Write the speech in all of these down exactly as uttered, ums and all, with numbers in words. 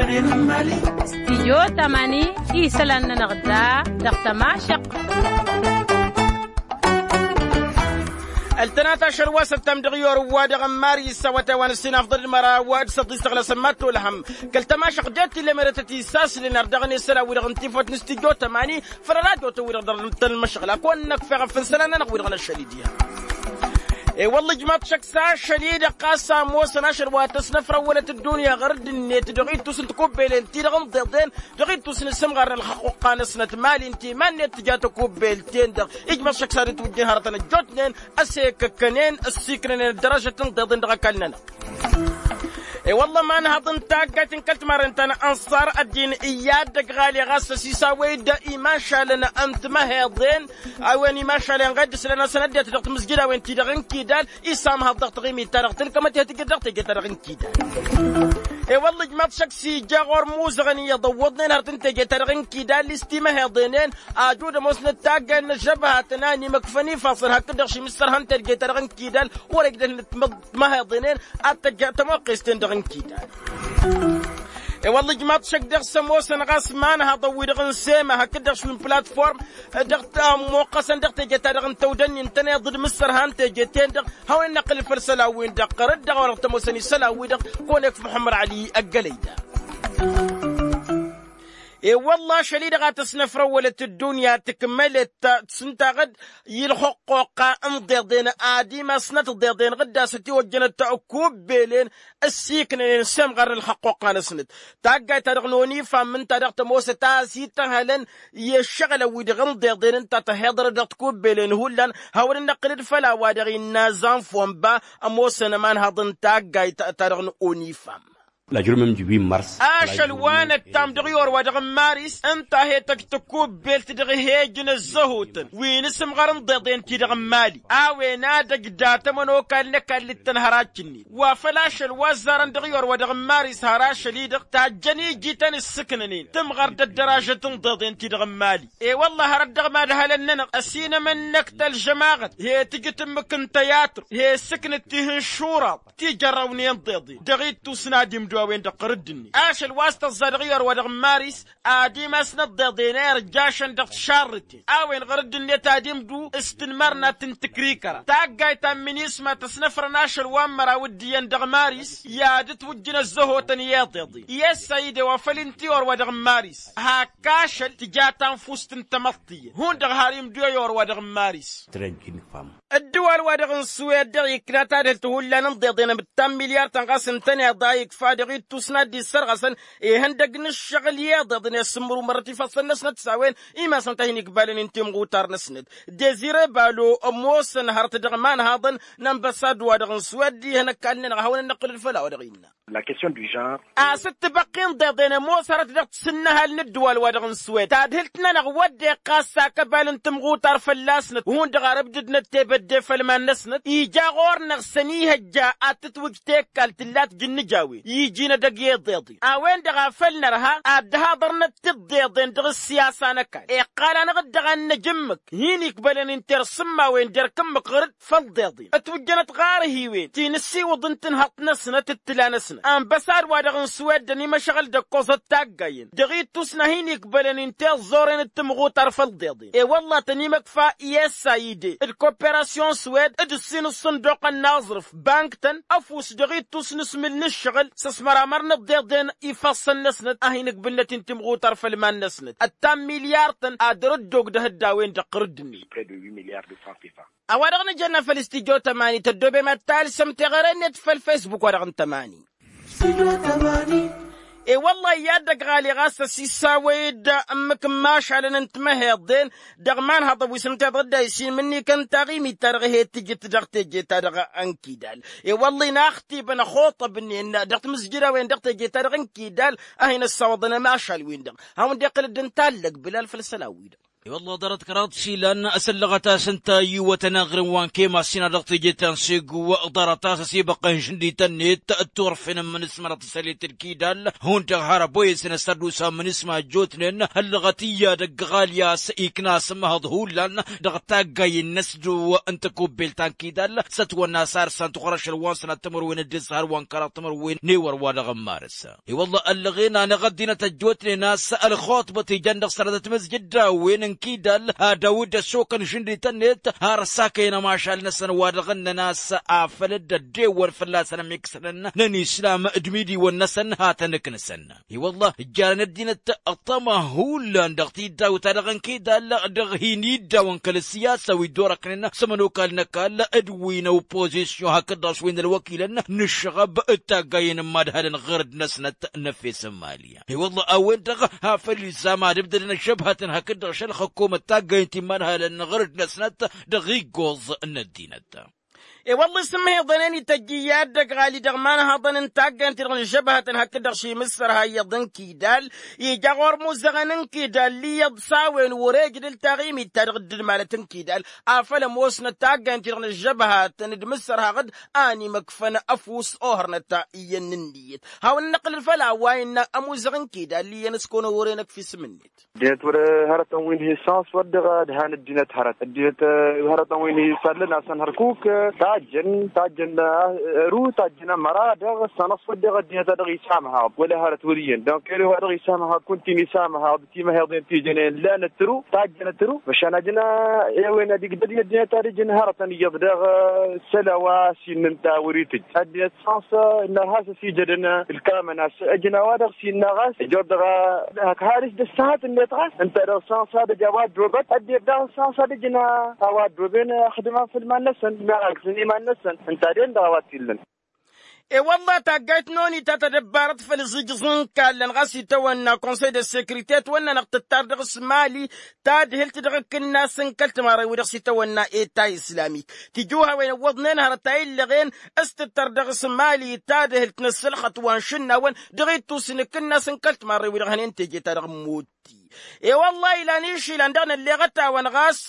Stijyo tamani isălan-nănăɣ da dăɣ-tămašăq. Ăltănat ašăl wa s-ăttam dăɣ-i orǝw wa dăɣ-n mari s-awătay wa n-ǝssin afḍăl d-măraw d-săḍis tăɣlăsăn ma t-olhăm kăl-tămašăq det-t-illa merătăt isaslen ar dăɣ-nesăl a-wi-dăɣ n-tifăt n-stijyo tamani făll-ăradyo tăn-wi-dăɣ dăr-tăn-măšăɣla kăwăn-năkf eɣăf n-isălan-nănăɣ wi-dăɣ n-ašăl-i diha. I-wălla ijmaḍ šăkk s-ašăl-i-dăɣ ɣas a ămoosăn ašăl wa tăsnăfrăwălăt ăddunya ɣur-dd-net dăɣ-ittus n-tikubbelen-ti-dăɣ n-iḍeḍen dăɣ-ittus n-isǝmɣar n-ălxăqquqqa-năsnăt mali ǝnta iman-net tǝja takubbelt-ten-dăɣ ijmaḍ šăkk s-ad-ǝtwǝjjǝn hărătăn ăjjootnen ăsekăkkănen ăssiiknănen ăddărajăt n-iḍeḍen dăɣ-ăkall-nănăɣ. I-wălla ămanhăḍ n-taggayt n-kăl-timarren ta n-ănṣar ăddin iyyăt dăgg-ɣali ɣas ăsisawăy-dd imašalăn n-timăheḍen a-wen imašalăn ɣed islan-asăn ăddinăt dăɣ-timǝzjǝd a-wen-ti-dăɣ n-kidal isamhăḍ dăɣ-taɣimit-ta-dăɣ tǝlkămăt i-ad-tǝjǝd dăɣ-teje-ta-dăɣ n-kidal. I-wălla ijmaḍ šăkk s-ija ɣur-imuzăɣăn iyyăḍ ăwwăḍnen hărăt n-teje-ta-dăɣ n-kidal i-s timăheḍenen ajud ămoosnăt taggayt n-ăžžăbhatăn a ănimăkfăn ifassăn hakd-dăɣ šim s-sărhăn teje-ta-dăɣ n-kidal wăr-e ǝgdăhnăt timăheḍenen ad-tăjja tămoqqes-ten-dăɣ n-kidal. I-wălla ijmaḍ šăkk dăɣ-s ămoosăn ɣas imanhăḍăn-wi-dăɣ n-sema hakd-dăɣ šwi n-platform dăɣ-t-ămmoqqăsăn dăɣ-teje-ta-dăɣ n-tăwdănni ǝntăneḍ d-imǝssărhan teje-ten-dăɣ hawăn-in-năqqǝl făll-isălan-win-dăɣ ɣărăt dăɣ-a-wa-dăɣ tămoosăn isălan-wi-dăɣ kăwăn-ekf muḥămmăd ăli ăggălăy-da. I-wălla ašăl-i-dăɣ a tăsnăfrăwălăt ăddunya tǝkmălet s-ǝnta ɣǝd i-ălxăqqoqqa n-iḍeḍen ad-imasnăt iḍeḍen ɣǝdda s-ătiwăjjănăt kubbelen ăssiiknănen s-emɣar n-ălxăqqoqqa-năsnăt. Taggayt-ta-dăɣ n-onifam ǝnta dăɣ-tămoosăt a ăsităhălăn i-ăššăɣǝlăn-wi-dăɣ n-iḍeḍen ǝnta tăhiḍărăt dăɣ-tikubbelen hullan hawăn-in-năqqǝl-dd făll-a-wa-dăɣ innă zanfomba. Ămoosăn ămanhăḍ n-taggayt-ta-dăɣ n-onifam. Ašăl wa năttam dăɣ-i orwa dăɣ-n maris ǝnta a he-tăj takubbelt dăɣ-ehejăn ăzzăhotăn wi n-asǝmɣar n-iḍeḍen-ti-dăɣ n-mali a-wen ad-ăj datămăn okall n-ăkall d-tănhărac-net wa făl ašăl wa ăzzarăn dăɣ-i orwa dăɣ-n maris har ašăl-i-dăɣ tajjăn iji tăn-issǝknănen tǝmɣăr d-ăddăražăt n-iḍeḍen-ti-dăɣ n-mali. I-wălla hărăt dăɣ-imadhălăn-nănăɣ ăsinămănnăk tălžămaɣăt he-tǝjǝt ǝmmǝk n-tăyatru he-ǝssǝknăt tih n-šuraḍ tijărrăwnen iḍeḍen dăɣ-ittus n-ad-imdu a-wen-dăɣ ɣur-dd-net ašăl wa s-tăẓẓa dăɣ-i orwa dăɣ-n maris ad-imasnăt iḍeḍen a irjašăn dăɣ-tišarrǝten a-wen ɣur-dd-net ad-imdu s-tǝnmărnat n-tǝkrikăra taggayt ta n-minisma tăsnăfrăn ašăl wa n-măraw d-iyyăn dăɣ-maris i-ad-ǝtwǝjjǝn ăzzăhotăn i-iḍeḍen i-ăssayǝde wa făl ǝnta i-orwa dăɣ-n maris hak ašăl tǝja tanfust n-tamăḍt tiyyăn hundăɣ har imdu i-orwa dăɣ-n maris. Ǝddǝwal-wa-dăɣ n-suwed dăɣ-ikna tadhǝlt hullan n-iḍeḍen ămǝttan milyar-tăn ɣas ǝntăneḍ a ikfa dăɣ-ittus n-ad-dd-issărɣăsăn ihăndăg n-ǝššăɣǝl i-iḍeḍen i-ăssǝmmăr umărrăt ifassăn-năsnăt s-a-wen imasăn-t a hin-ikbalăn inta imɣutar-năsnăt dezire balo ămoosăn hărăt dăɣ-imanhaḍăn n-ănbăsad-wa-dăɣ n-suwed ihăn ăkall-nănăɣ a hawăn-ănnăqqǝl d-făll-a-wa dăɣ-innă. Lakesyon du žanr. Asǝttǝbăqqi n-iḍeḍen ămoos hărăt dăɣ-tisǝnnăhal n-ǝddǝwal-wa-dăɣ n-suwed tadhǝlt-nănăɣ wădden ɣas akăbal n-timɣutar fălla-snăt hundăɣ ar ǝbdǝdnăt tebădde făll-iman-năsnăt ija ɣur-năɣ s-ănihăjja ad-tǝtwǝj tekkal tǝllat jǝnnǝj a-wen iji n-edăgg i-iḍeḍen a-wen-dăɣ a făl nărha ad-dd-haḍărnăt tiḍeḍen dăɣ-ǝssiyasa n-ăkall iqqal-anăɣ-dd dăɣ-ad-năj ǝmmǝk hin-ikbălăn inter s-ǝmmawen d-erk ǝmmǝk ɣur-dd făll-iḍeḍen ătwǝjjănăt ɣarhiwen ti n-ǝssiwǝḍ n-tǝnhăḍt-năsnăt d-tǝla-năsnăt ănbăsad-wa-dăɣ n-suwed d-ănimăšăɣăl d-ăkkoẓăt taggayen dăɣ-ittus n-ad-hin-ikbălăn inta i-ăẓẓoren d-timɣutar făll-iḍeḍen i-wălla tăn-imăkfa i-s a ide d-koperasyon suwed d-ǝssin ǝṣṣǝnduqăn n-aẓrǝf bank-tăn ăfuss dăɣ-ittus n-asmǝl n-ǝššăɣǝl s-ăsmăramăr n-iḍeḍen ifassăn-năsnăt a hin-ǝkbǝlnăt-in timɣutar făll-iman-năsnăt ăttan milyar-tăn ad-dăr-dd-ogdăh dd-a-wen-dăɣ ɣur-dd-net. A-wa-dăɣ nǝjănna făll-studyo tămani tăddoobem ad-talsăm teɣăre-net făll-fesbuk-wa-dăɣ n-tămani. I-wăllah iyyăt dăgg-ɣali ɣas ăsisawăy-dd ǝmmǝk n-imašalăn n-timăheḍen dăɣ-imanhăḍăn wi s-ǝnta iḍădday s-imǝnnikăn taɣimit-ta-dăɣ he-tǝjǝt dăɣ-teje-ta-dăɣ n-kidal. I-wăllah inaxtibăn ăxuṭăbnen dăɣ-timǝzjǝdawen dăɣ-teje-ta-dăɣ n-kidal a hin-ăssawăḍăn ămašal-win-dăɣ hawăn-dd-iqqǝl dd-ǝntallăg bǝlal făll-isălan-wi-dăɣ. I-wălla ḍarăt kăraḍ s-ilan s-ăllăɣăt-as ǝnta iwwătăn aɣrǝm wa n-kema s-ina dăɣ-teje ta n-segu. Ḍarăt-as ăsibăqqăn žǝndităn-net d-turfen n-imǝnǝsmărăt s-ălit d-kidal hundăɣ har ăboyăsăn ăssărdusa n-imǝnǝsma ăjjootnen. Ăllăɣăt iyyădăgg ɣalya a-s ikna asǝmmăhăḍ hullan dăɣ-taggayen n-ăsdǝw n-tăkubbelt ta n-kidal s-ătwănna a-s arsăn tuɣrăšăl wa n-sănat timǝrwen d-ǝssăhăl wa n-kăraḍ timǝrwen n-ewăr wa dăɣ-n marǝs. I-wălla ăllăɣen a n-eɣăddinăt ăjjootnen a-s ălxuṭbăt ijan dăɣ-sănatăt mǝzjǝddawen n-kidal ad-awǝd ăssokăn žǝndităn-net har ăssakăyăn ămašal-năsăn wa dăɣ-ǝnnăn a-s afăl dd-ăddewăn fălla-săn ămiksănăn n-ănislam d-imidiwăn-năsăn hatăn-ǝknǝsăn. I-wălla ǝjjarăn ăddinăt ăṭṭăma hullan dăɣ-tiddawt-ta-dăɣ n-kidal dăɣ-hin-iddawăn kăl-ăssiyasa wi dd-orăknen s-ămănokal n-ăkall d-wi n-ăwpozisyon hakd-dăɣ s-wi n-ălwăkilăn n-ǝššăɣăb d-taggayen n-imadhalăn ɣur-dd-năsnăt n-efes n-imali. I-wălla a-wen-dăɣ afăl izam ad-ǝbdădăn ăžžăbhatăn hakd-dăɣ šălxăkkomăt taggayen ti n-imadhalăn ɣur-dd-năsnăt dăɣ-iggoẓ n-ăddinăt. I-wălla isǝmmăhiḍăn-en ităjj iyyăt dăgg-ɣali dăɣ-imanhăḍăn n-taggayăn-ti-dăɣ n-ǝžžăbhătăn hakd-dăɣ šimǝssărha iyyăḍ n-kidal ija ɣur-imuzăɣăn n-kidal iyyăḍ s-a-wen wăr-ejăd ǝltaɣimit-ta-dăɣ dd-ǝdmalăt n-kidal afăl ămoosnăt taggayăn-ti-dăɣ n-ǝžžăbhătăn d-imǝssărhaɣ-dd a ănimăkfăn ăfuss ohărnăt iyyăn n-ǝnniyăt. Hawăn-năqqǝlăl făll-a-wa innă ămuzăɣ n-kidal iyyăn s-kăwăn-ăwwăren ăkf isǝm-net. Ăddinăt wăr-hărătăn wi n-hi-săns wăr dăɣ-ădhan ăddinăt hărăt ăddinăt hărătăn wi n-hi-sallăn a-s ănhărkuk tajjăn tajjăn ăru tajjăn ămăra dăɣ-sănăs wăr dăɣ-ăddinăt a dăɣ-isamăhăɣ wăla hărăt wăr iyyăn donc ere wa dăɣ-isamăhăɣ kunta-in isamăhăɣ d-timăheḍen ti jănen lănăt tru tajjănăt tru măšan ajăn i-wen ad-igdăd i-ăddinăt ad-ǝjǝn hărătăn iyyăḍ dăɣ-isălan wa s-innă ǝnta wăr-itǝjj ăddinăt săns ǝnnăɣ has-ăsijădăn ǝlkamăn a-s ǝjǝn a-wa-dăɣ s-innă ɣas ǝjor dăɣ-a hak har-s d-ǝssăhăt-net ɣas ǝnta dăɣ-săns ad-ăj a-wa ăddobăt ăddinăt daɣ săns ad-ǝjǝn a-wa ăddoben ăxdǝman făll-iman-năsăn meɣ agǝsăn iman-năsăn ǝnta den dăɣ-a-wa t-illăn. I-wălla taggayt n-oni ta tadăbbarăt făll-iẓǝjǝẓ n-kallăn ɣas itawănna konsăy d-ăssekrite ătwănna-năɣ tǝttar dăɣ-s mali tadhǝlt dăɣ-akǝnnas n-kăl-timarrăy wi-dăɣ s-itawănna eta islamik. Tijǝwhawen ǝwwăḍnen hărăt a illăɣen s-tǝttăr dăɣ-s mali tadhǝlt n-ăssălxăt wa n-išǝnnawăn dăɣ-ittus n-akǝnnas n-kăl-timarrăy wi-dăɣ hănen teje-ta-dăɣ n-mutti. I-wălla ilan išilan dăɣ-nălleɣăt-awăn ɣas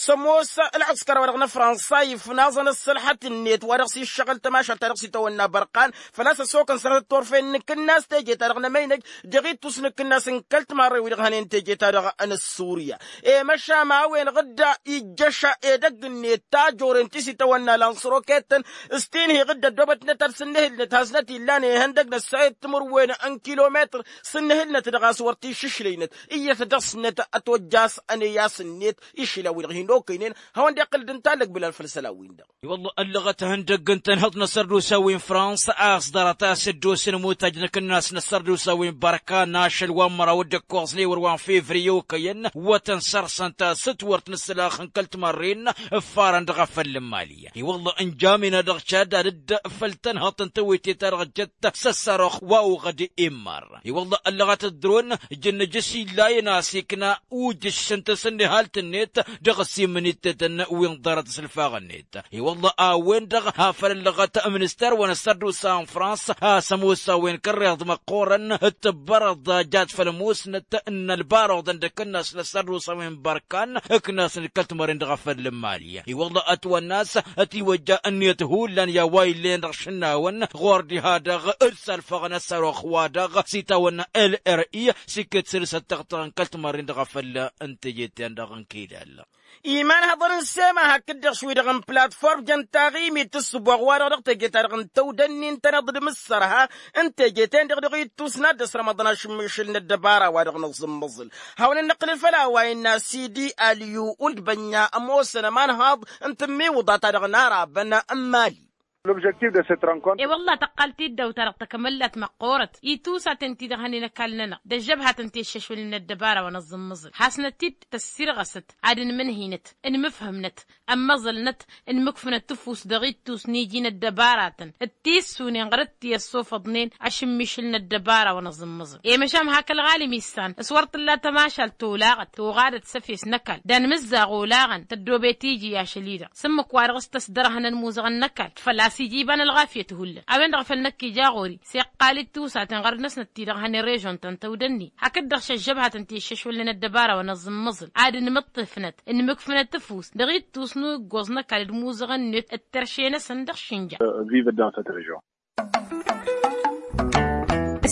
s-ămoos ălɣǝskăr-wa-dăɣ n-afrănsa ifnaẓăn ăssălxăt-net wa dăɣ-s iššăɣǝl tămašalt ta dăɣ-s itawănna bărqan făl-a-s ăsokăn sănatăt turfen n-akǝnnas teje-ta-dăɣ n-emăynăj dăɣ-ittus n-akǝnnas n-kăl-timarrăy wi-dăɣ hănen teje-ta-dăɣ n-ăssurya. I-măšan a-wen ɣǝdda ijjăš edăgg-net tajoren ti s-itawănna lansroketăn s-tinhi ɣǝdda ăddoobătnăt ad-sǝnnǝhǝlnăt hasnăt illan ihăndăg n-ăssayăt timǝrwen n-kilometăr sǝnnǝhǝlnăt dăɣ-a-s wăr t-iššǝšlăynăt iyyăt dăɣ-snăt ătwăjja a-s ăneyas-net išlan-wi-dăɣ hin-okăynen hawăn-dd-iqqǝl d-ǝnta ăllăg bǝlan făll-isălan-win-dăɣ. I-wălla ăllăɣăt ihăndăgg ǝnta n-ihăḍ n-ăssărdusa wi n-fransa a-s ḍarăt a-s dd-osen imutaj n-akǝnnas n-ăssărdusa wi n-bărkan ašăl wa n-măraw d-ǝkkoẓ n-ewăr wa n-fevriye okăyăn wătăn săr-săn ta s-dd-wăr t-nǝssǝlax n-kăl-timărren ǝffarăn dăɣ-afăl n-imali. I-wălla ǝnjam-in-a dăɣ-cad ad-dd-făl tănhăḍt n-tewete-ta-dăɣ jăt s-ăssarăɣ wa uɣăd immar. I-wălla ăllăɣăt ăddăron ǝjǝnnǝj s-illayăn a-s ikna ujǝš s-ǝnta s-ǝnnihalt-net dăɣ-ăsimǝn ittetăn wi n-ḍarăt s-ǝlfaɣ-net. I-wălla a-wen-dăɣ afăl ăllăɣăt minister wa n-ăssărdusa n-frans a-s ămoos a-wen kărreḍ măqqoorăn d-tǝbbărăḍ jat făll-ămoosnăt n-ălbaroḍăn d-akǝnnas n-ăssărdusa wi n-bărkan ǝknasăn d-kăl-timărren dăɣ-afăl n-imali. I-wălla ătwănna a-s ătiwăjja ǝnniyăt hullan i-a-wa illăyăn dăɣ-išǝnnawăn ɣur-diha-dăɣ d-salfăɣăn ăssărux-wa-dăɣ s-itawănna lri s-iket săr-s ăttăɣtăɣ n-kăl-timărren dăɣ-afăl n-teje-ten-dăɣ n-kidal. Iman hăḍăn n-sema hakd-dăɣ š-wi-dăɣ n-platform jăn taɣimit s-ǝbboɣ-wa-dăɣ dăɣ-teje-ta-dăɣ n-tăwdănnin tăneḍ d-imǝssărha n-teje-ten-dăɣ dăɣ-ittus n-ad-dd-ăsrămăḍăn ašǝmmišǝl n-ăddăbara wa dăɣ-nǝẓǝmmăẓǝl. Hawăn-ănnăqqǝlăl făll-a-wa innă sidi alyu ulbănna ămoosăn ămanhăḍ n-tǝmmiwǝḍa ta dăɣ-nara băn n-mali. L'objectif de cette rencontre. I-wălla tăqqal tiddawt-ta-dăɣ takămăllat măqqoorăt i-tusaten ti-dăɣ hănen ăkall-nănăɣ d-ăžžăbhatăn ti ăššăšwălnen ăddăbara wa n-aẓǝmmăẓǝl hasnăt-dd tăssirɣăsăt ad-ǝnmǝnhǝynăt ǝnmǝfhǝmnăt ămmăẓălnăt ǝnmǝkfǝnăt tǝfust dăɣ-ittus n-iji n-ăddăbaratăn d-tissunen ɣărăt ti ăssofăḍnen ašǝmmišǝl n-ăddăbara wa n-aẓǝmmăẓǝl i-măšan hak ălɣalim issan s-wăr t-tǝlla tămašalt tolaɣăt toɣadăt s-efes n-ăkall d-anmǝzzaɣ olaɣăn tăddoobet iji ašăl-i-dăɣ s-ǝmmǝk wa dăɣ-s tăsdărhăn ănmuzăɣăn n-ăkall făl-a-s s-ija iba n-ălɣafyăt hullan a-wen-dăɣ făl năkk ija ɣur-i s-iqqal-dd tiwsaten ɣărăt-năsnăt ti-dăɣ hăn i-režon-tăn tăwdănni hakd-dăɣ šăžžăbhatăn ti ǝššăšwălnen ăddăbara wa n-aẓǝmmăẓǝl ad-ǝnmǝṭṭǝfnăt ǝnmǝkfǝnăt ăfuss dăɣ-ittus n-uggoẓ n-ăkall d-imuzăɣăn-net d-terše-năsăn dăɣ-išǝnja. Vive dans cette région.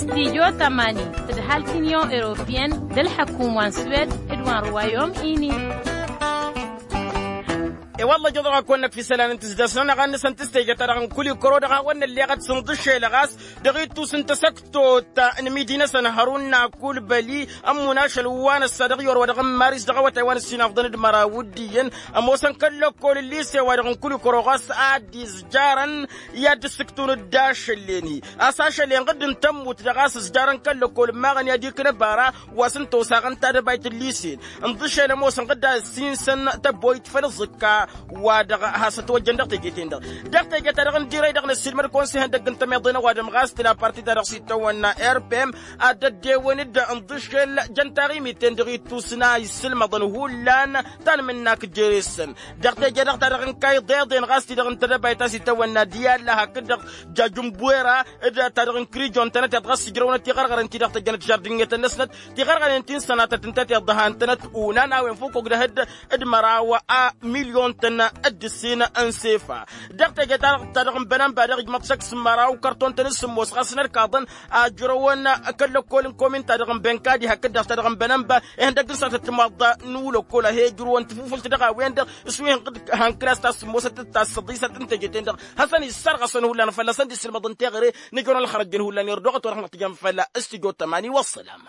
Studyo tămani tǝdhal t-inyon europiyăn d-ălḥăkum wa n-swed d-wa n-ruwayom-ini. I-wălla ǝjăḍ-aɣ a kăwăn-năkf isălan n-tǝzdăsnăn aɣan-năsăn tǝstejăt-ta-dăɣ n-kul-ikăro dăɣ-a-wăn nălleɣăt s-inḍǝšel ɣas dăɣ-ittus n-tasăktot n-imidi-năsăn hărun n-akulbăli ămmun ašăl wa n-ăssa dăɣ-i orwa dăɣ-n maris dăɣ-awătay wa n-ăssinafḍăn d-măraw d-iyyăn ămoosăn kăl-lăkkol n-lise wa dăɣ-n kul-ikăro ɣas ad-izjarăn i-ad-dd-ǝssǝktǝwăn d-ašăl-en-hi a-s ašăl-en ɣǝdd n-tămmut dăɣ-a-s ǝzjarăn kăl-lăkkol n-imaɣăn i-ad-iknă bara wa s-ǝnta osaɣăn tadăbayt n-lisen ǝnḍǝšel ămoosăn ɣǝdd a ăssinsăn tăboyt făll-ǝẓǝkka wa-dăɣ has-ătwăjjăn dăɣ-teje-ten-dăɣ dăɣ-teje-ta-dăɣ n-dirăy dăɣ-năssiilmăd konsey ihăndăgg n-tămiḍe n-ăwadǝm ɣas tǝla parti-ta-dăɣ s-itawănna rpm ad-dd-ăddewăn-dd ǝnḍǝšel jăn taɣimit-ten-dăɣ ittus n-a isǝlmăḍăn hullan tanmǝnnak jere-săn dăɣ-teje-dăɣ ta dăɣ-n kayḍeḍen ɣas ti-dăɣ n-tedăbayt a-s itawănna d-i-alla hakd-dăɣ jajǝnbwera d-ta dăɣ-n kǝrijon-tănăt iḍ ɣas ǝjrăwnăt tiɣărɣăren ti-dăɣ tăjjănăt žardǝnyetăn-năsnăt tiɣărɣăren ti n-sănatăt ǝnta tiḍăha ǝntănăt unan a-wen făw kăwg-dăhăd d-măraw a milyon-tăn d-ǝssin n-sefa dăɣ-teje-ta dăɣ-ta dăɣ-n bănănba dăɣ-ijmăḍ šăkk s-măraw kărton-tăn s-sǝmmos ɣas n-ărkaḍăn a ǝjrăwăn kăl-lăkkol n-komin ta dăɣ-n bănkadi hakd-dăɣ ta dăɣ-n bănănba ihăndăgg n-sănatăt timaḍḍa n-ulăkkol a he-ǝjrǝwăn tafufǝlt dăɣ-a-wen-dăɣ s-wi hănkăl a-s tassǝmmosăt d-tassăḍisăt n-teje-ten-dăɣ hasăn-issărɣăsăn hullan fălla-săn d-isǝlmăḍ n-teɣăre nǝjrăwăn ălxărăjjăn hullan irduɣăt wăr hanăɣ-tǝjăm făll-stujo tămani wăssălam.